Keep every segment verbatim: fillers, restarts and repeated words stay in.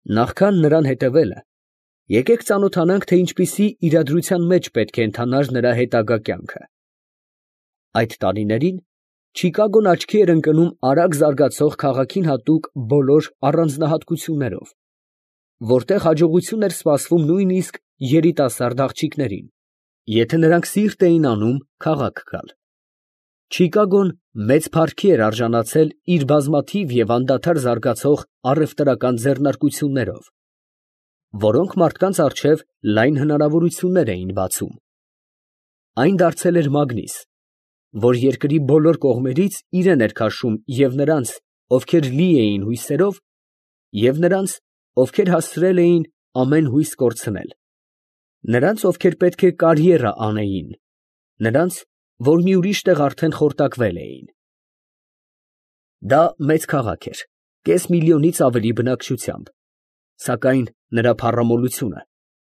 Նախքան նրան հետևելը, եկեք ծանոթանանք, թե ինչպիսի իրադրության մեջ պետք է ընթանար նրա հետագա կյանքը։ Այդ տարիներին Չիկագոն աչքի էր ընկնում արագ զարգացող քաղաքին հատուկ բոլոր առանձնահատկություններով, որտեղ հաջողություն էր սպասվում նույնիսկ երիտասարդ աղջիկներին, եթե նրանք սիրտ էին անում քաղաք գալ։ Չիկագոն մեծ փառքի էր արժանացել իր բազմաթիվ և անդադար զարգացող առևտրական ձեռնարկություններով, որոնք մարդկանց առջև լայն հնարավորություններ էին բացում։ Այն դարձել էր մագնիս, որ երկրի բոլոր կողմերից իրեն էր քաշում և նրանց, ովքեր լի էին հույսերով, և նրանց, ովքեր հասցրել էին ամեն հույս կորցնել, նրանց, ովքեր պետք է կարիերա անեին, նրանց, որ մի ուրիշ տեղ արդեն խորտակվել էին։ Դա մեծ քաղաք էր, կես միլիոնից ավելի բնակչությամբ, սակայն նրա փառամոլությունը,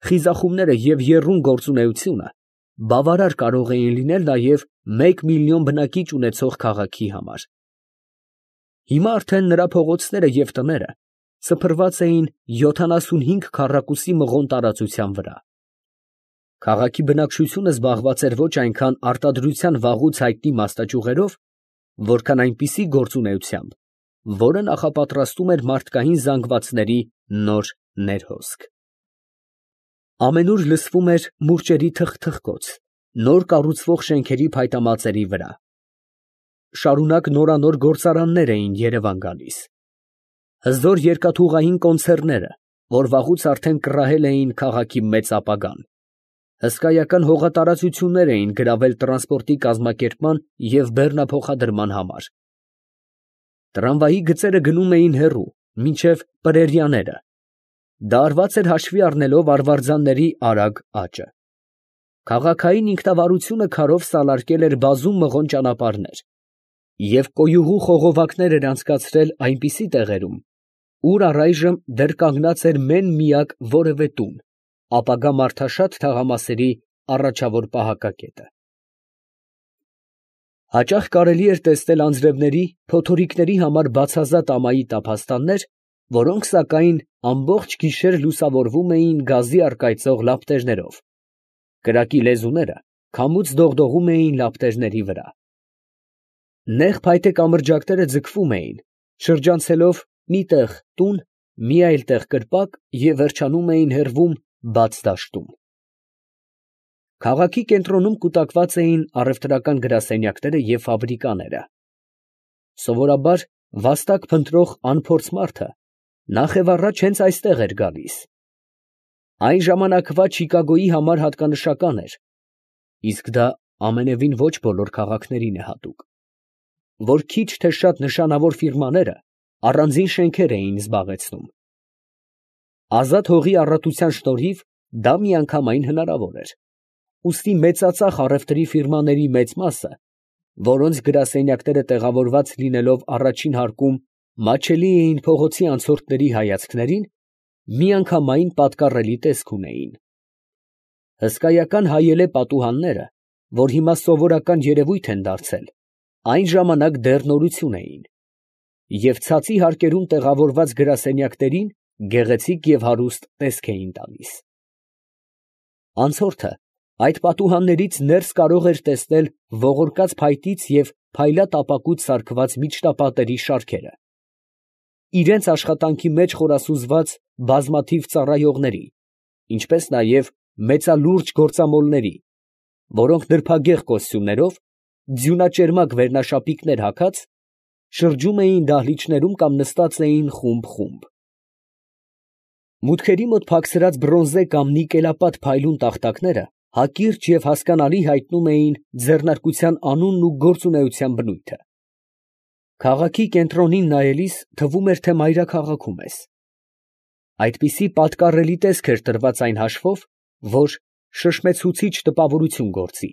խիզախումները և եռուն գործունեությունը բավարար կարող էին լինել նաև մեկ միլիոն բնակիչ ունեցող քաղաքի համար։ Հիմա արդեն նրա փողոցները և տները սփռված էին յոթանասունհինգ քառակուսի մղոն տարածության վրա։ Քաղաքի բնակչությունը զբաղված էր ոչ այնքան արտադրության վաղուց հայտնի մասնաճյուղերով, որքան այնպիսի գործունեությամբ, որը նախապատրաստում էր մարդկային զանգվածների նոր ներհոսք։ Ամենուր լսվում էր մուրճերի թխթխկոց, նոր կառուցվող շենքերի փայտամածերի վրա։ Շարունակ նորանոր գործարաններ էին երևան գալիս։ Հզոր երկաթուղային կոնցեռները, որ վաղուց արդեն կռահել էին քաղաքի մեծ ապագան, հսկայական հողատարածություններ էին գրավել տրանսպորտի կազմակերպման և բեռնափոխադրման համար։ Տրամվայի գծերը գնում էին հեռու, մինչև Պրերիաները. դա արված էր հաշվի առնելով արվարձանների արագ աճը։ Քաղաքային ինքնավարությունը քարով սալարկել էր բազում մղոն ճանապարհներ և կոյուղու խողովակներ էր անցկացրել այնպիսի տեղերում, ուր առայժմ դեռ կանգնած էր մեն֊միակ որևէ տուն, ապագա մարդաշատ թաղամասերի առաջավոր պահակակետը։ Հաճախ կարելի էր տեսնել անձրևների, փոթորիկների համար բացազատ ամայի տափաստաններ, որոնք, սակայն, ամբողջ գիշեր լուսավորվում էին գազի առկայծող լապտերներով, կրակի լեզուները քամուց դողդողում էին լապտերների վրա։ Նեղ փայտե կամրջակները ձգվում էին, շրջանցելով մի տեղ տուն, մի այլ տեղ կրպակ և վերջանում էին հեռվում բաց դաշտում։ Քաղաքի կենտրոնում կուտակված էին առևտրական գրասենյակները և ֆաբրիկաները։ Սովորաբար վաստակ փնտրող անփորձ մարդը նախևառաջ հենց այստեղ էր գալիս։ Այն ժամանակվա Չիկագոյի համար հատկանշական էր, իսկ դա ամենևին ոչ բոլոր քաղաքներին է հատուկ, որ քիչ թե շատ նշանավոր ֆիրմաները առանձին շենքեր էին զբաղեցնում։ Ազատ հողի առատության շնորհիվ դա միանգամայն հնարավոր էր, ուստի մեծածախ առևտրի ֆիրմաների մեծ մասը, որոնց գրասենյակները տեղավորված լինելով առաջին հարկում մատչելի էին փողոցի անցորդների հայացքներին, միանգամայն պատկառելի տեսք ունեին։ Հսկայական հայելե պատուհանները, որ հիմա սովորական երևույթ են դարձել, այն ժամանակ դեռ նորություն էին, և ցածի հարկերում տեղավորված գրասենյակներին գեղեցիկ և հարուստ տեսք էին տալիս։ Անցորդը այդ պատուհաններից ներս կարող էր տեսնել ողորկած փայտից և փայլատ ապակուց սարքված միջնապատերի շարքերը, իրենց աշխատանքի մեջ խորասուզված բազմաթիվ ծառայողների, ինչպես նաև մեծալուրջ գործամոլների, որոնք նրբագեղ կոստյումներով, ձյունաճերմակ վերնաշապիկներ հագած, շրջում էին դահլիճներում կամ նստած էին խումբ֊խումբ։ Մուտքերի մոտ փակցրած բրոնզե կամ նիկելապատ փայլուն տախտակները հակիրճ և հասկանալի հայտնում էին ձեռնարկության անունն ու գործունեության բնույթը։ Քաղաքի կենտրոնին նայելիս թվում էր, թե մայրաքաղաքում ես։ Այդպիսի պատկառելի տեսք էր տրված այն հաշվով, որ շշմեցուցիչ տպավորություն գործի,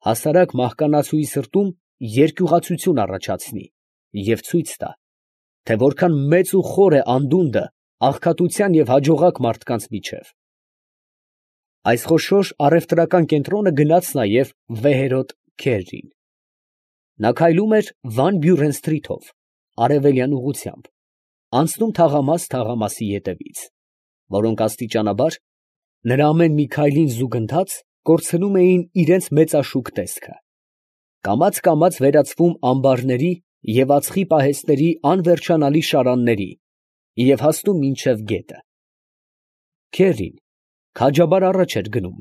հասարակ մահկանացուի սրտում երկյուղացություն առաջացնի և ցույց տա, թե որքան մեծ ու խոր է անդունդը աղքատության և հաջողակ մարդկանց միջև։ Այս խոշոր առևտրական կենտրոնը գնաց նաև վեհերոտ քերրին։ Նա քայլում էր Վան Բյուրեն սթրիթով, արևելյան ուղղությամբ, անցնում թաղամաս թաղամասի ետևից, որոնք աստիճանաբար նրա ամեն մի քայլին զուգընթաց կորցնում էին իրենց մեծաշուք տեսքը, կամաց֊կամաց վերածվում ամբարների և ածխի պահեստների անվերջանալի շարանների և հասնում մինչև գետը։ Քերին քաջաբար առաջ էր գնում,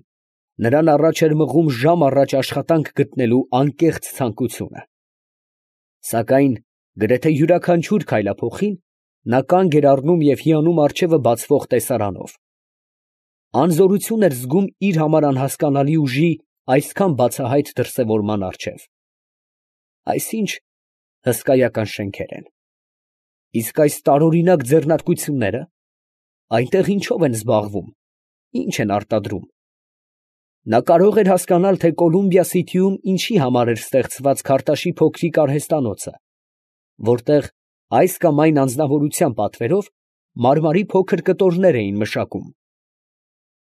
նրան առաջ էր մղում ժամ առաջ աշխատանք գտնելու անկեղծ ցանկությունը։ Սակայն գրեթե յուրաքանչյուր քայլափոխին նա կանգ էր առնում և հիանում առջևը բացվող տեսարանով, անզորություն էր զգում իր համար անհասկանալի ուժի այսքան բացահայտ դրսևորման առջև։ Այս ի՞նչ հսկայական շենքեր են, իսկ այս տարօրինակ ձեռնարկություննե՞րը, այնտեղ ինչո՞վ են զբաղվում, ի՞նչ են արտադրում։ Նա կարող էր հասկանալ, թե Կոլումբիա Սիթիում ինչի համար էր ստեղծված Քարտաշի փոքրիկ արհեստանոցը, որտեղ այս կամ այն անձնավորության պատվերով մարմարի փոքր կտորներ էին մշակում։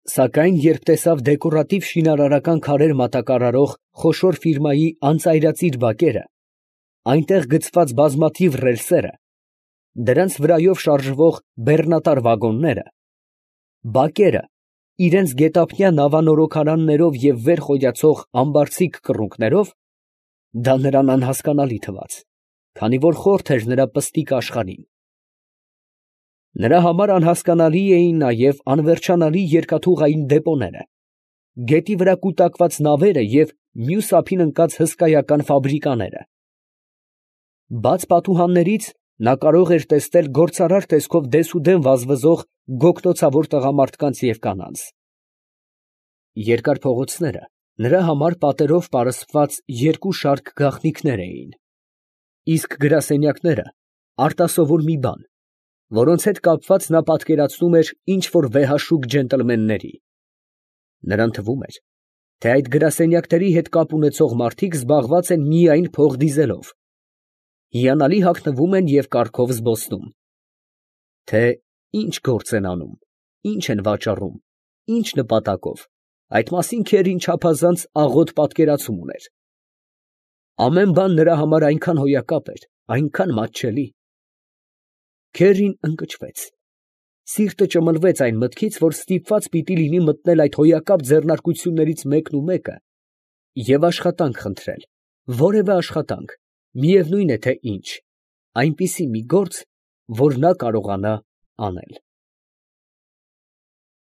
Սակայն երբ տեսավ դեկորատիվ շինարարական քարեր մատակարարող խոշոր ֆիրմայի անծայրածիր բակերը, այնտեղ գցված բազմաթիվ ռելսերը, դրանց վրայով շարժվող բեռնատար վագոնները, բակերը իրենց գետափնյա նավանորոգարաններով և վեր խոյացող ամբարձիկ կռունկներով, դա նրան անհասկանալի թվաց, քանի որ խորթ էր նրա պստիկ աշխարհին։ Նրա համար անհասկանալի էին նաև անվերջանալի երկաթուղային դեպոները, գետի վրա կուտակված նավերը և մյուս ափին ընկած հսկայական ֆաբրիկաները։ Բաց պատուհաններից նա կարող էր տեսնել գործարար տեսքով դեսուդեն վազվզող գոգնոցավոր տղամարդկանց և կանանց։ Երկար փողոցները նրա համար պատերով պարսպված երկու շարք գաղտնիքներ էին, իսկ գրասենյակները արտասովոր մի բան, որոնց հետ կապված նա պատկերացնում էր ինչ֊որ վեհաշուկ ջենտլմենների։ Նրան թվում էր, թե այդ գրասենյակների հետ կապ ունեցող մարդիկ զբաղված են միայն փող դիզելով, հիանալի հագնվում են և կառքով զբոսնում, թե ինչ գործ են անում, ինչ են վաճառում, ինչ նպատակով, այդ մասին Քերին չափազանց աղոտ պատկերացում ուներ։ Ամեն բան նրա համար այնքան հոյակապ էր, այնքան մատչելի։ Քերին ընկճվեց, սիրտը ճմլվեց այն մտքից, որ ստիպված պիտի լինի մտնել այդ հոյակապ ձեռնարկություններից մեկն ու մեկը և աշխատանք խնդրել, որևէ աշխատանք, միևնույն է թե ինչ, այնպիսի մի գործ, որ նա կարողանա անել։